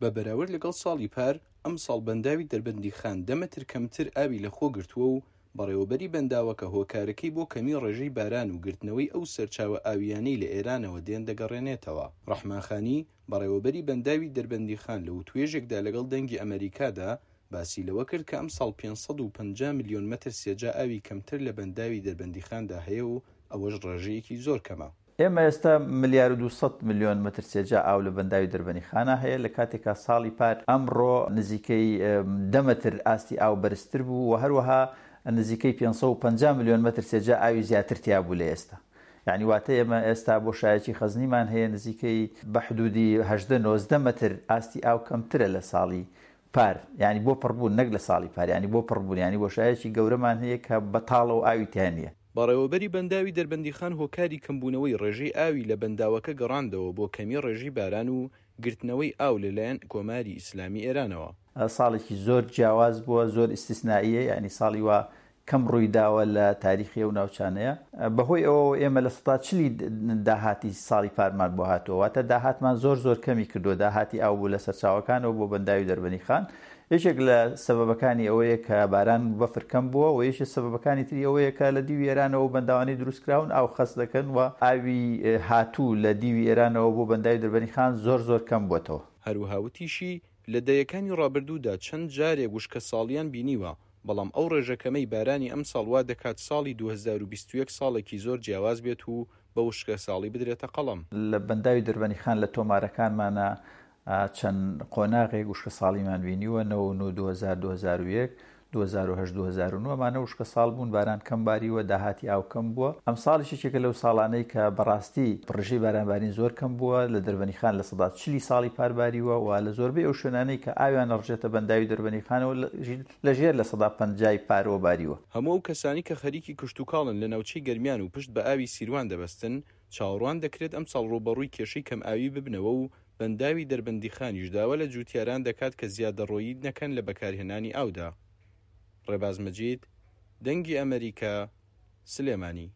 بە بەراورد لەگەڵ ساڵی پار، ئەمساڵ بەنداوی دەربەندیخان دە مەتر کەمتر ئاوی لەخۆ گرتووە و بەڕێوەبەری بەنداوەکە هۆکارەکەی بۆ کەمی ڕێژەی باران و گرتنەوەی ئەو سەرچاوە ئاوییانەی لە ئێرانەوە دێن دەگەڕێنێتەوە. ڕەحمان خانی، بەڕێوەبەری بەنداوی دەربەندیخان لە وتوێژێکدا لەگەڵ دەنگی ئەمەریکادا باسی لەوە کرد کە ئەمساڵ 550 ملیۆن مەتر سێجا ئاوی کەمتر لە بەنداوی دەربەندیخاندا هەیە و ئەوەش ڕێژەیەکی زۆر کەمە. ئێمە ئێستا ملیار و 200 ملیۆن مەتر سێجا ئاو لە بەنداوی دەربەنیخانە هەیە، لە کاتێکا ساڵی پار ئەمڕۆ نزیکەی دە مەتر ئاستی ئاو بەرزتر بوو و هەروەها نزیکەی 550 ملیۆن مەتر سێجا ئاوی زیاتر تیا بوو لە ئێستا. یانی واتە ئێمە ئێستا بۆشایەکی خەزنیمان هەیە نزیکەی بە حدودی 18 19 مەتر ئاستی ئاو کەمترە لە ساڵی پار، یانی بۆ پڕبوون نەک لە ساڵی پار، یانی بۆ پڕبوون، یانی بۆشایەکی گەورەمان هەیە کە بەتاڵە و ئاوی تیا نییە. بەڕێوەبەری بەنداوی دەربەندیخان هۆکاری کەمبوونەوەی ڕێژەی ئاوی لە بەنداوەکە گەڕاندەوە بۆ کەمی ڕێژەی باران و گرتنەوەی ئاو لەلایەن کۆماری ئیسلامی ئێرانەوە. ساڵێکی زۆر جیاواز بووە، زۆر ئیستیسنائییە، یانی ساڵی وا کەم ڕووی داوە لە تاریخی ئەو ناوچانەیە، بەهۆی ئەوەوە ئێمە لە سەدا چلی داهاتی ساڵی پارمان بۆ هاتووە، واتە داهاتمان زۆر زۆر کەمی کردووە، داهاتی ئاو بوو لە سەرچاوەکانەوە بۆ بەنداوی دەربەنیخان، یەکێک لە سەبەبەکانی ئەوەیە کە باران و بەفر کەم بووە و یەکێ سەبەبەکانی تری ئەوەیە کە لە دیوی ئێرانەوە ئەو بەنداوانەی دروست کراون ئاو خەست دەکەن و ئاوی هاتوو لە دیوی ئێرانەوە بۆ بەنداوی دەربەنیخان زۆر زۆر کەم بووەتەوە. هەروەها وتیشی، لە دەیەکانی ڕابردوودا چەند جارێک وشکەساڵییان بینیوە، بەڵام ئەو ڕێژە کەمەی بارانی ئەمساڵ وا دەکات ساڵی 2021 ساڵێکی زۆر جیاواز بێت و بە وشکەساڵی بدرێتە قەڵەم. لە بەنداوی دەربەنیخان لە تۆمارەکانمانا چەند قۆناغێک وشکەساڵیمان بینیوە، 99، 2000، 2001، 2008، 2009 ئەمانە وشکەساڵ بوون، باران کەم باریوە، داهاتی ئاو کەم بووە. ئەمساڵیش یەکێکە لەو ساڵانەی کە بەڕاستی ڕێژەی بارانبارین زۆر کەم بووە، لە دەربەنیخان 40% ساڵی پار باریوە و لە زۆربەی ئەو شوێنانەی کە ئاویان ئەڕژێتە بەنداوی دەربەنیخانەوە لە ژێر 50% ی پارەوە باریوە. هەموو ئەو کەسانەی کە خەریکی کشتوکاڵن لە ناوچەی گەرمیان و پشت بە ئاوی سیروان دەبەستن، چاوەڕوان دەکرێت ئەمساڵ ڕووبەڕووی کێشەی کەمئاوی ببنەوە و بەنداوی دەربەندیخانیش داوا لە جووتیاران دەکات کە زیادەڕۆیی نەکەن لە بەکارهێنانی ئاودا. ڕێباز مەجید، دەنگی ئەمەریکا، سلێمانی.